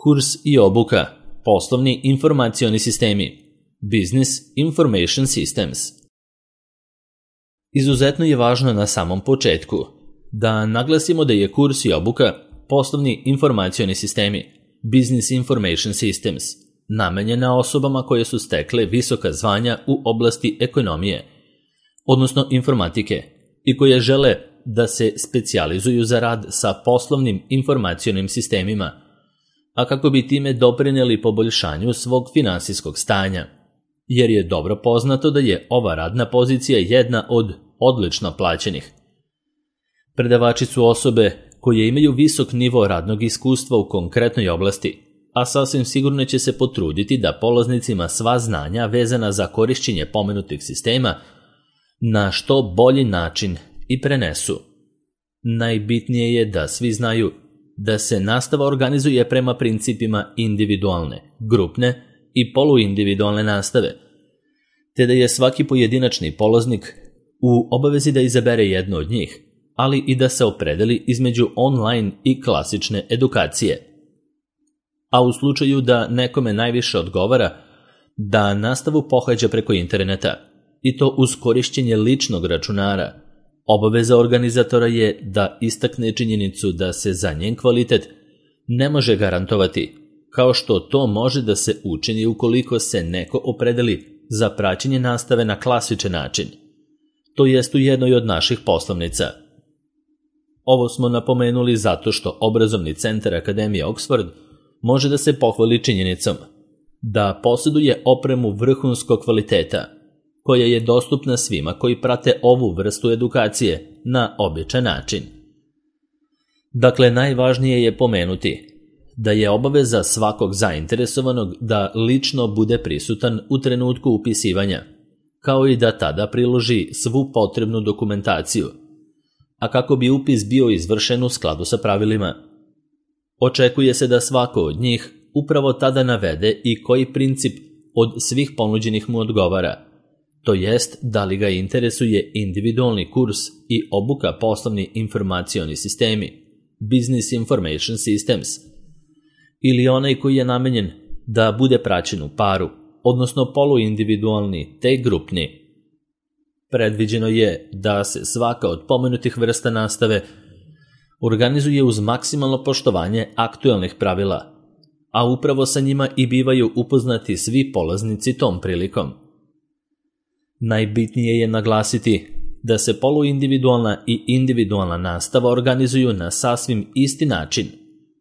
Kurs i obuka, poslovni informacioni sistemi, Business Information Systems. Izuzetno je važno na samom početku da naglasimo da je kurs i obuka, poslovni informacioni sistemi, Business Information Systems, namenjena osobama koje su stekle visoka zvanja u oblasti ekonomije, odnosno informatike, i koje žele da se specijalizuju za rad sa poslovnim informacionim sistemima, a kako bi time doprineli poboljšanju svog finansijskog stanja, jer je dobro poznato da je ova radna pozicija jedna od odlično plaćenih. Predavači su osobe koje imaju visok nivo radnog iskustva u konkretnoj oblasti, a sasvim sigurno će se potruditi da polaznicima sva znanja vezana za korišćenje pomenutih sistema na što bolji način i prenesu. Najbitnije je da svi znaju da se nastava organizuje prema principima individualne, grupne i poluindividualne nastave, te da je svaki pojedinačni polaznik u obavezi da izabere jednu od njih, ali i da se opredeli između online i klasične edukacije. A u slučaju da nekome najviše odgovara da nastavu pohađa preko interneta, i to uz korišćenje ličnog računara, obaveza organizatora je da istakne činjenicu da se za njen kvalitet ne može garantovati, kao što to može da se učini ukoliko se neko opredeli za praćenje nastave na klasičan način, to jest u jednoj od naših poslovnica. Ovo smo napomenuli zato što obrazovni centar Akademije Oxford može da se pohvali činjenicom da posjeduje opremu vrhunskog kvaliteta, koja je dostupna svima koji prate ovu vrstu edukacije na običan način. Dakle, najvažnije je pomenuti da je obaveza svakog zainteresovanog da lično bude prisutan u trenutku upisivanja, kao i da tada priloži svu potrebnu dokumentaciju, a kako bi upis bio izvršen u skladu sa pravilima. Očekuje se da svako od njih upravo tada navede i koji princip od svih ponuđenih mu odgovara, to jest da li ga interesuje individualni kurs i obuka poslovni informacioni sistemi, Business Information Systems, ili onaj koji je namenjen da bude praćen u paru, odnosno poluindividualni te grupni. Predviđeno je da se svaka od pomenutih vrsta nastave organizuje uz maksimalno poštovanje aktuelnih pravila, a upravo sa njima i bivaju upoznati svi polaznici tom prilikom. Najbitnije je naglasiti da se poluindividualna i individualna nastava organizuju na sasvim isti način,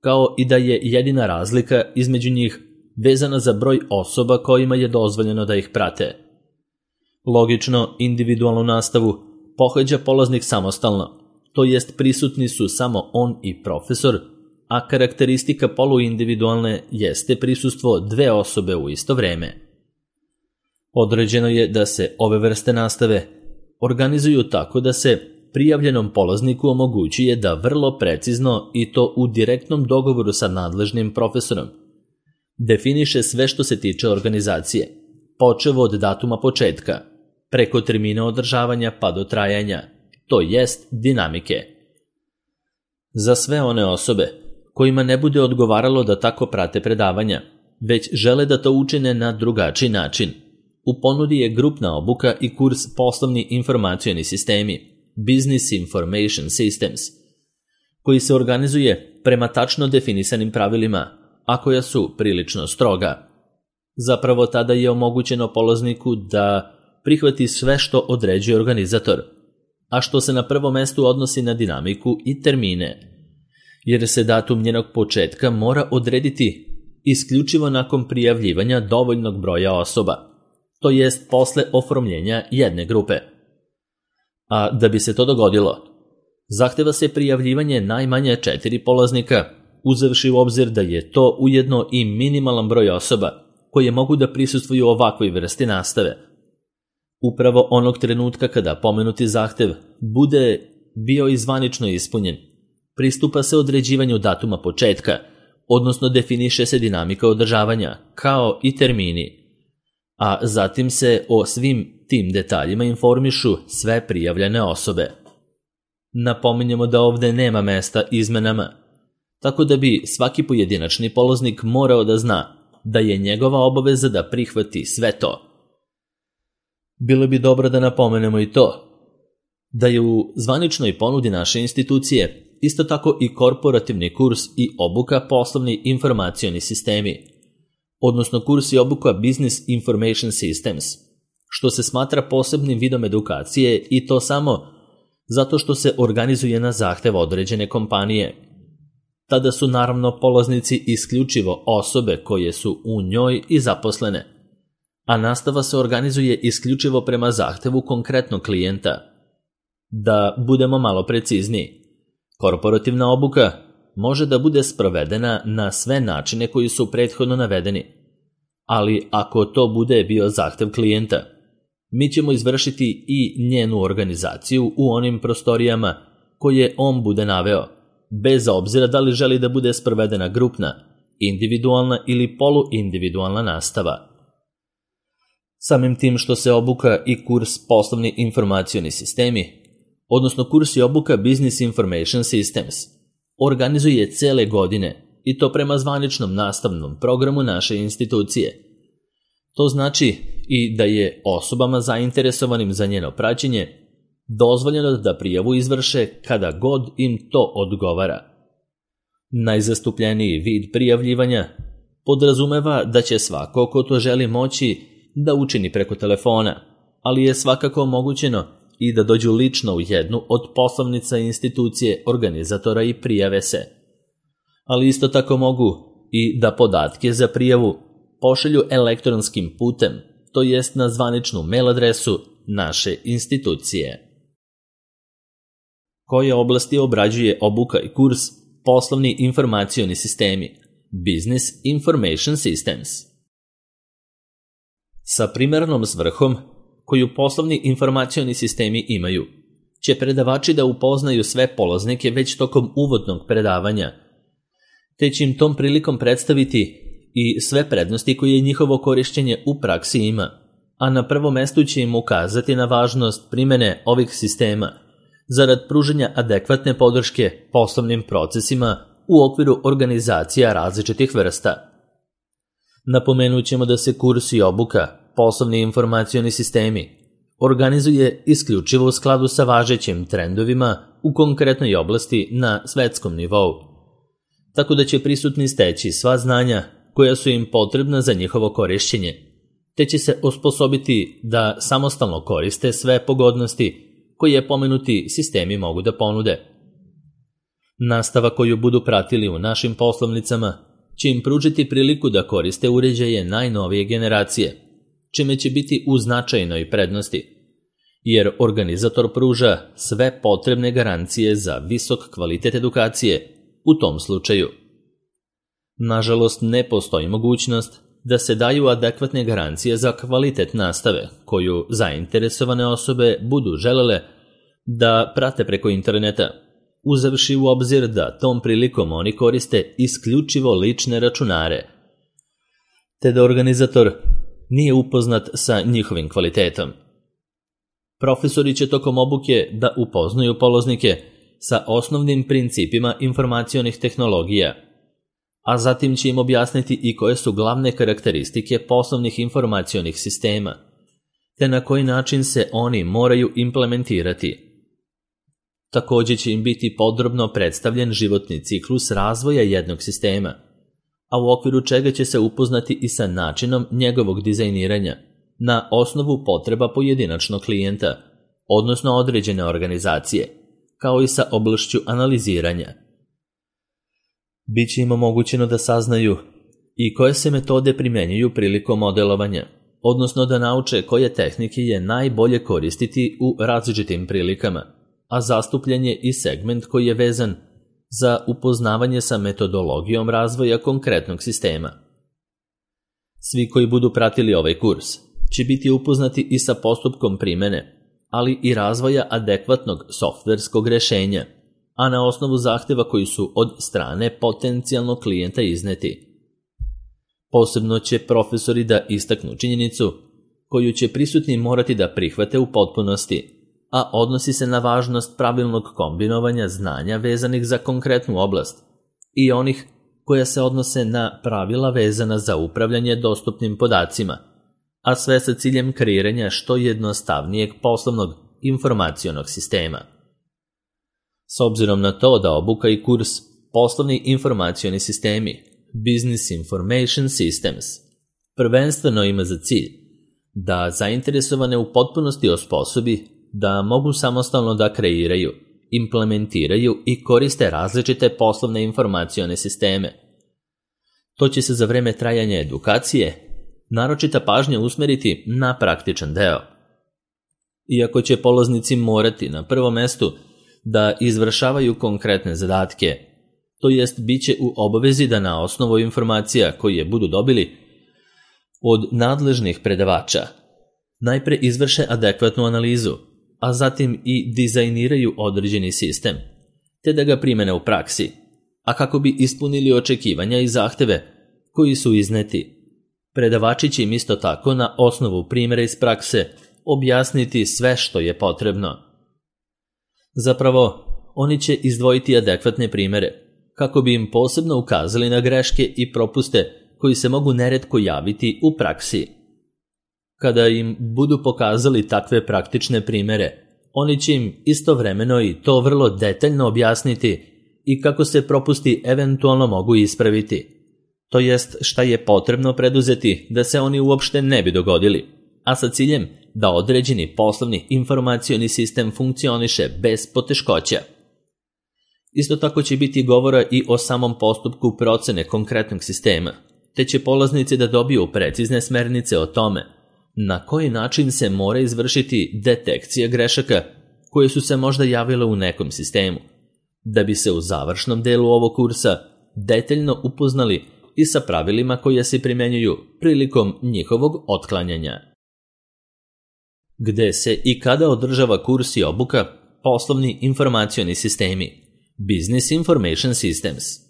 kao i da je jedina razlika između njih vezana za broj osoba kojima je dozvoljeno da ih prate. Logično, individualnu nastavu pohađa polaznik samostalno, to jest prisutni su samo on i profesor, a karakteristika poluindividualne jeste prisustvo dve osobe u isto vreme. Određeno je da se ove vrste nastave organizuju tako da se prijavljenom polazniku omogućuje da vrlo precizno i to u direktnom dogovoru sa nadležnim profesorom definiše sve što se tiče organizacije, počev od datuma početka, preko termina održavanja pa do trajanja, to jest dinamike. Za sve one osobe kojima ne bude odgovaralo da tako prate predavanja, već žele da to učine na drugačiji način, u ponudi je grupna obuka i kurs poslovni informacioni sistemi, Business Information Systems, koji se organizuje prema tačno definisanim pravilima, a koja su prilično stroga. Zapravo tada je omogućeno polazniku da prihvati sve što određuje organizator, a što se na prvo mesto odnosi na dinamiku i termine, jer se datum njenog početka mora odrediti isključivo nakon prijavljivanja dovoljnog broja osoba, to jest posle oformljenja jedne grupe. A da bi se to dogodilo, zahteva se prijavljivanje najmanje 4 polaznika, uzevši u obzir da je to ujedno i minimalan broj osoba koje mogu da prisustvuju ovakvoj vrsti nastave. Upravo onog trenutka kada pomenuti zahtev bude bio i zvanično ispunjen, pristupa se određivanju datuma početka, odnosno definiše se dinamika održavanja, kao i termini, a zatim se o svim tim detaljima informišu sve prijavljene osobe. Napominjemo da ovde nema mesta izmenama, tako da bi svaki pojedinačni polaznik morao da zna da je njegova obaveza da prihvati sve to. Bilo bi dobro da napomenemo i to, da je u zvaničnoj ponudi naše institucije isto tako i korporativni kurs i obuka poslovni informacioni sistemi, odnosno kurs i obuka Business Information Systems, što se smatra posebnim vidom edukacije i to samo zato što se organizuje na zahtev određene kompanije. Tada su naravno polaznici isključivo osobe koje su u njoj i zaposlene, a nastava se organizuje isključivo prema zahtevu konkretnog klijenta. Da budemo malo precizniji, korporativna obuka može da bude sprovedena na sve načine koji su prethodno navedeni, ali ako to bude bio zahtev klijenta, mi ćemo izvršiti i njenu organizaciju u onim prostorijama koje on bude naveo, bez obzira da li želi da bude sprovedena grupna, individualna ili poluindividualna nastava. Samim tim što se obuka i kurs poslovni informacioni sistemi, odnosno kurs i obuka Business Information Systems, organizuje cele godine i to prema zvaničnom nastavnom programu naše institucije. To znači i da je osobama zainteresovanim za njeno praćenje dozvoljeno da prijavu izvrše kada god im to odgovara. Najzastupljeniji vid prijavljivanja podrazumeva da će svako ko to želi moći da učini preko telefona, ali je svakako omogućeno i da dođu lično u jednu od poslovnica institucije organizatora i prijave se. Ali isto tako mogu i da podatke za prijavu pošalju elektronskim putem, to jest na zvaničnu mail adresu naše institucije. Koje oblasti obrađuje obuka i kurs poslovni informacioni sistemi, Business Information Systems? Sa primarnom svrhom koju poslovni informacioni sistemi imaju, će predavači da upoznaju sve polaznike već tokom uvodnog predavanja, te će im tom prilikom predstaviti i sve prednosti koje njihovo korišćenje u praksi ima, a na prvom mestu će im ukazati na važnost primene ovih sistema zarad pružanja adekvatne podrške poslovnim procesima u okviru organizacija različitih vrsta. Napomenut ćemo da se kurs i obuka poslovni informacioni sistemi organizuje isključivo u skladu sa važećim trendovima u konkretnoj oblasti na svetskom nivou, tako da će prisutni steći sva znanja koja su im potrebna za njihovo korišćenje, te će se osposobiti da samostalno koriste sve pogodnosti koje pomenuti sistemi mogu da ponude. Nastava koju budu pratili u našim poslovnicama će im pružiti priliku da koriste uređaje najnovije generacije, čime će biti u značajnoj prednosti, jer organizator pruža sve potrebne garancije za visok kvalitet edukacije u tom slučaju. Nažalost, ne postoji mogućnost da se daju adekvatne garancije za kvalitet nastave koju zainteresovane osobe budu želele da prate preko interneta, uzevši u obzir da tom prilikom oni koriste isključivo lične računare, te da organizator nije upoznat sa njihovim kvalitetom. Profesori će tokom obuke da upoznaju polaznike sa osnovnim principima informacionih tehnologija, a zatim će im objasniti i koje su glavne karakteristike poslovnih informacionih sistema, te na koji način se oni moraju implementirati. Također će im biti podrobno predstavljen životni ciklus razvoja jednog sistema, a u okviru čega će se upoznati i sa načinom njegovog dizajniranja na osnovu potreba pojedinačnog klijenta, odnosno određene organizacije, kao i sa oblašću analiziranja. Biće im omogućeno da saznaju i koje se metode primenjuju prilikom modelovanja, odnosno da nauče koje tehnike je najbolje koristiti u različitim prilikama, a zastupljen je i segment koji je vezan za upoznavanje sa metodologijom razvoja konkretnog sistema. Svi koji budu pratili ovaj kurs će biti upoznati i sa postupkom primene, ali i razvoja adekvatnog softverskog rešenja, a na osnovu zahteva koji su od strane potencijalnog klijenta izneti. Posebno će profesori da istaknu činjenicu koju će prisutni morati da prihvate u potpunosti, a odnosi se na važnost pravilnog kombinovanja znanja vezanih za konkretnu oblast i onih koja se odnose na pravila vezana za upravljanje dostupnim podacima, a sve sa ciljem kreiranja što jednostavnijeg poslovnog informacionog sistema. S obzirom na to da obuka i kurs Poslovni informacioni sistemi, Business Information Systems, prvenstveno ima za cilj da zainteresovane u potpunosti osposobi da mogu samostalno da kreiraju, implementiraju i koriste različite poslovne informacione sisteme. To će se za vreme trajanja edukacije naročita pažnja usmeriti na praktičan deo. Iako će polaznici morati na prvom mestu da izvršavaju konkretne zadatke, to jest bit će u obavezi da na osnovu informacija koje budu dobili od nadležnih predavača najpre izvrše adekvatnu analizu, a zatim i dizajniraju određeni sistem, te da ga primene u praksi, a kako bi ispunili očekivanja i zahteve koji su izneti. Predavači će im isto tako na osnovu primjera iz prakse objasniti sve što je potrebno. Zapravo, oni će izdvojiti adekvatne primjere, kako bi im posebno ukazali na greške i propuste koji se mogu neretko javiti u praksi. Kada im budu pokazali takve praktične primjere, oni će im istovremeno i to vrlo detaljno objasniti i kako se propusti eventualno mogu ispraviti, to jest šta je potrebno preduzeti da se oni uopšte ne bi dogodili, a sa ciljem da određeni poslovni informacioni sistem funkcioniše bez poteškoća. Isto tako će biti govora i o samom postupku procene konkretnog sistema, te će polaznici da dobiju precizne smernice o tome na koji način se mora izvršiti detekcija grešaka koje su se možda javile u nekom sistemu, da bi se u završnom delu ovog kursa detaljno upoznali i sa pravilima koja se primenjuju prilikom njihovog otklanjanja. Gde se i kada održava kurs i obuka Poslovni informacioni sistemi, Business Information Systems?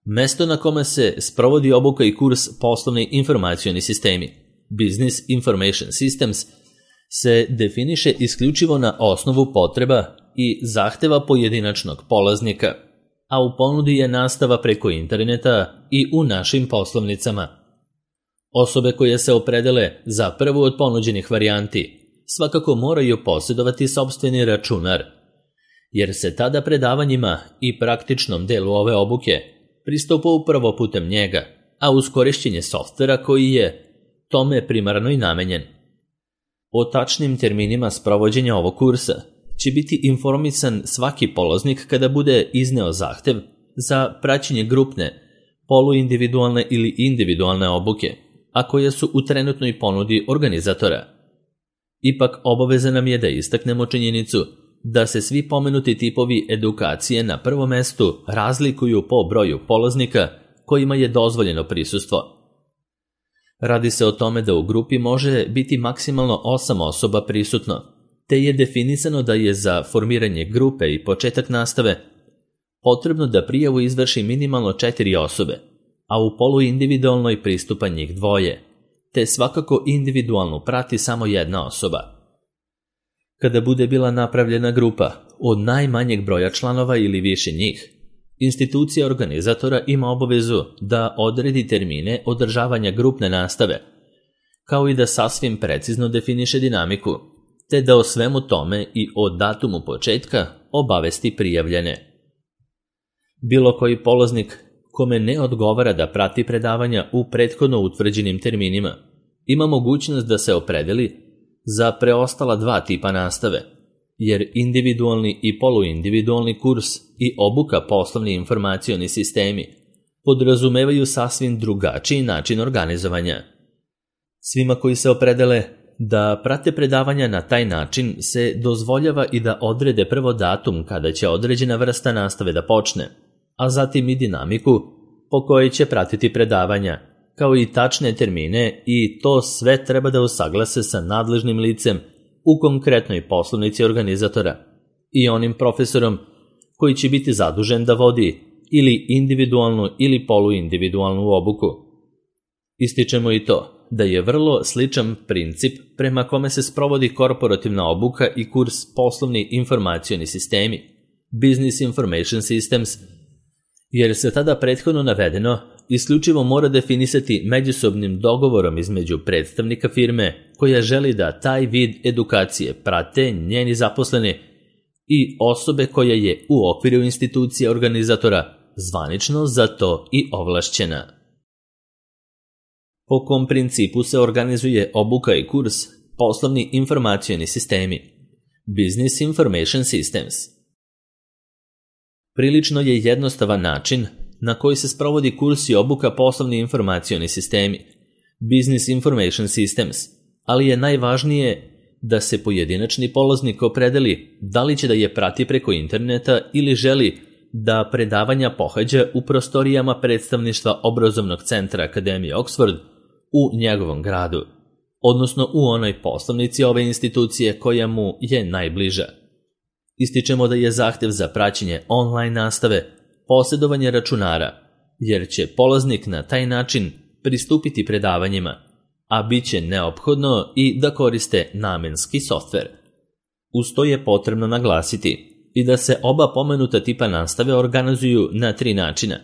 Mesto na kome se sprovodi obuka i kurs Poslovni informacioni sistemi, Business Information Systems, se definiše isključivo na osnovu potreba i zahteva pojedinačnog polaznika, a u ponudi je nastava preko interneta i u našim poslovnicama. Osobe koje se opredele za prvu od ponuđenih varijanti svakako moraju posjedovati sopstveni računar, jer se tada predavanjima i praktičnom delu ove obuke pristupa upravo putem njega, a uz korišćenje softvera koji je tome primarno i namenjen. O tačnim terminima sprovođenja ovog kursa će biti informisan svaki polaznik kada bude izneo zahtev za praćenje grupne, poluindividualne ili individualne obuke, a koje su u trenutnoj ponudi organizatora. Ipak obaveza nam je da istaknemo činjenicu da se svi pomenuti tipovi edukacije na prvom mestu razlikuju po broju polaznika kojima je dozvoljeno prisustvo. Radi se o tome da u grupi može biti maksimalno 8 osoba prisutno, te je definisano da je za formiranje grupe i početak nastave potrebno da prijavu izvrši minimalno 4 osobe, a u poluindividualnoj pristupa njih 2, te svakako individualno prati samo 1 osoba. Kada bude bila napravljena grupa od najmanjeg broja članova ili više njih, institucija organizatora ima obavezu da odredi termine održavanja grupne nastave, kao i da sasvim precizno definiše dinamiku, te da o svemu tome i o datumu početka obavesti prijavljene. Bilo koji polaznik kome ne odgovara da prati predavanja u prethodno utvrđenim terminima, ima mogućnost da se opredeli za preostala 2 tipa nastave, jer individualni i poluindividualni kurs i obuka Poslovni informacioni sistemi podrazumevaju sasvim drugačiji način organizovanja. Svima koji se opredele da prate predavanja na taj način se dozvoljava i da odrede prvo datum kada će određena vrsta nastave da počne, a zatim i dinamiku po kojoj će pratiti predavanja, kao i tačne termine, i to sve treba da usaglase sa nadležnim licem u konkretnoj poslovnici organizatora i onim profesorom koji će biti zadužen da vodi ili individualnu ili poluindividualnu obuku. Ističemo i to da je vrlo sličan princip prema kome se sprovodi korporativna obuka i kurs Poslovni informacioni sistemi, Business Information Systems, jer se tada prethodno navedeno isključivo mora definisati međusobnim dogovorom između predstavnika firme koja želi da taj vid edukacije prate njeni zaposleni i osobe koja je u okviru institucije organizatora zvanično za to i ovlašćena. Po kom principu se organizuje obuka i kurs poslovni informacioni sistemi, Business Information Systems? Prilično je jednostavan način na koji se sprovodi kurs i obuka poslovni informacioni sistemi, Business Information Systems, ali je najvažnije da se pojedinačni polaznik opredeli da li će da je prati preko interneta ili želi da predavanja pohađa u prostorijama predstavništva obrazovnog centra Akademije Oxford u njegovom gradu, odnosno u onoj poslovnici ove institucije koja mu je najbliža. Ističemo da je zahtev za praćenje online nastave posjedovanje računara, jer će polaznik na taj način pristupiti predavanjima, a bit će neophodno i da koriste namenski softver. Uz to je potrebno naglasiti i da se oba pomenuta tipa nastave organizuju na 3 načina,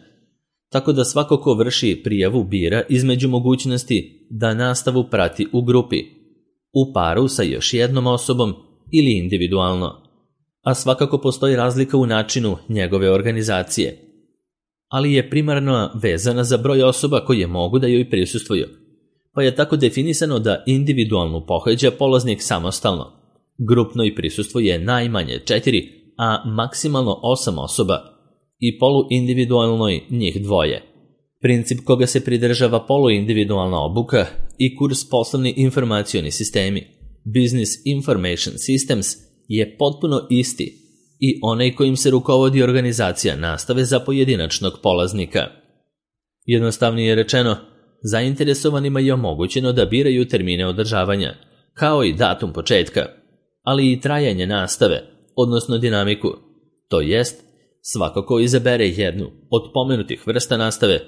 tako da svako ko vrši prijavu bira između mogućnosti da nastavu prati u grupi, u paru sa još jednom osobom ili individualno, a svakako postoji razlika u načinu njegove organizacije, ali je primarno vezana za broj osoba koje mogu da joj prisustvuju, pa je tako definisano da individualnu pohađa polaznik samostalno, grupno i prisustvuje najmanje 4, a maksimalno 8 osoba i poluindividualnoj njih 2. Princip koga se pridržava poluindividualna obuka i kurs poslovni informacioni sistemi, Business Information Systems, je potpuno isti i onaj kojim se rukovodi organizacija nastave za pojedinačnog polaznika. Jednostavnije rečeno, zainteresovanima je omogućeno da biraju termine održavanja, kao i datum početka, ali i trajanje nastave, odnosno dinamiku, to jest, svako ko izabere jednu od pomenutih vrsta nastave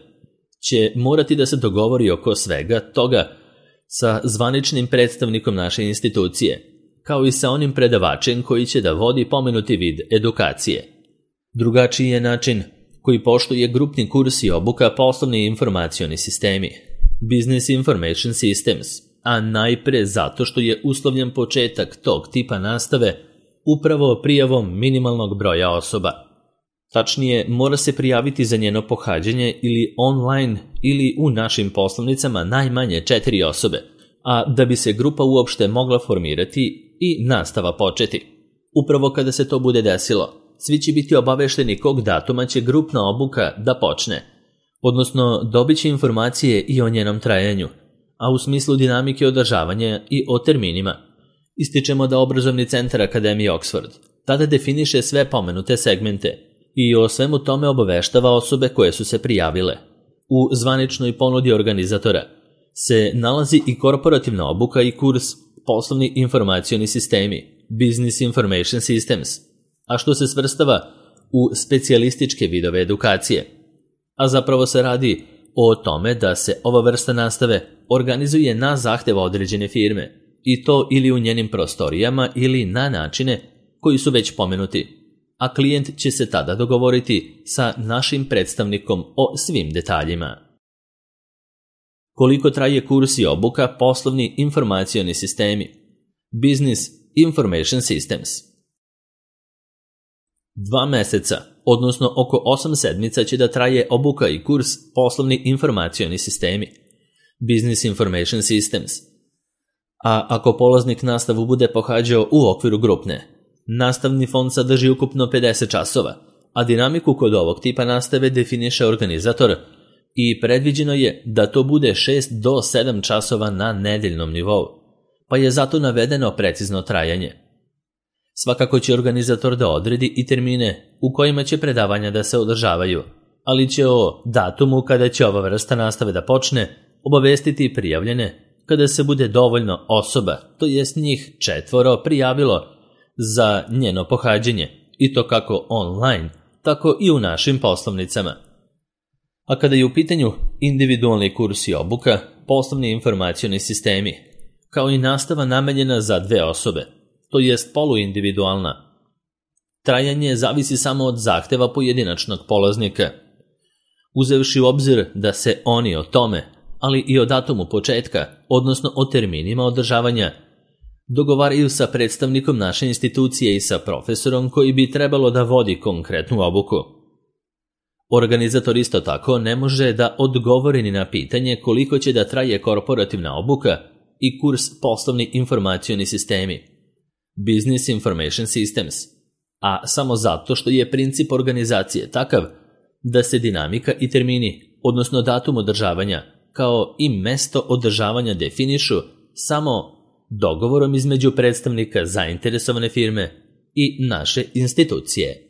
će morati da se dogovori oko svega toga sa zvaničnim predstavnikom naše institucije, kao i sa onim predavačem koji će da vodi pomenuti vid edukacije. Drugačiji je način koji poštuje grupni kurs i obuka poslovni informacioni sistemi, Business Information Systems, a najpre zato što je uslovljen početak tog tipa nastave upravo prijavom minimalnog broja osoba. Tačnije, mora se prijaviti za njeno pohađanje ili online ili u našim poslovnicama najmanje 4 osobe, a da bi se grupa uopšte mogla formirati i nastava početi. Upravo kada se to bude desilo, svi će biti obavešteni kog datuma će grupna obuka da počne, odnosno dobit će informacije i o njenom trajanju, a u smislu dinamike održavanja i o terminima. Ističemo da obrazovni centar Akademije Oxford tada definiše sve pomenute segmente i o svemu tome obaveštava osobe koje su se prijavile. U zvaničnoj ponudi organizatora se nalazi i korporativna obuka i kurs poslovni informacioni sistemi, Business Information Systems, a što se svrstava u specijalističke vidove edukacije. A zapravo se radi o tome da se ova vrsta nastave organizuje na zahtev određene firme, i to ili u njenim prostorijama ili na načine koji su već pomenuti, a klijent će se tada dogovoriti sa našim predstavnikom o svim detaljima. Koliko traje kurs i obuka poslovni informacioni sistemi, Business Information Systems? 2 meseca, odnosno oko 8 sedmica će da traje obuka i kurs poslovni informacioni sistemi, Business Information Systems. A ako polaznik nastavu bude pohađao u okviru grupne, nastavni fond sadrži ukupno 50 časova, a dinamiku kod ovog tipa nastave definiše organizator i predviđeno je da to bude 6 do 7 časova na nedeljnom nivou, pa je zato navedeno precizno trajanje. Svakako će organizator da odredi i termine u kojima će predavanja da se održavaju, ali će o datumu kada će ova vrsta nastave da počne obavestiti prijavljene kada se bude dovoljno osoba, to jest njih 4 prijavilo za njeno pohađanje, i to kako online, tako i u našim poslovnicama. A kada je u pitanju individualni kurs i obuka, poslovni informacioni sistemi, kao i nastava namenjena za 2 osobe, to jest poluindividualna, trajanje zavisi samo od zahteva pojedinačnog polaznika, uzevši u obzir da se oni o tome, ali i o datumu početka, odnosno o terminima održavanja, dogovaraju sa predstavnikom naše institucije i sa profesorom koji bi trebalo da vodi konkretnu obuku. Organizator isto tako ne može da odgovori ni na pitanje koliko će da traje korporativna obuka i kurs poslovni informacioni sistemi, Business Information Systems, a samo zato što je princip organizacije takav da se dinamika i termini, odnosno datum održavanja, kao i mesto održavanja definišu samo dogovorom između predstavnika zainteresovane firme i naše institucije.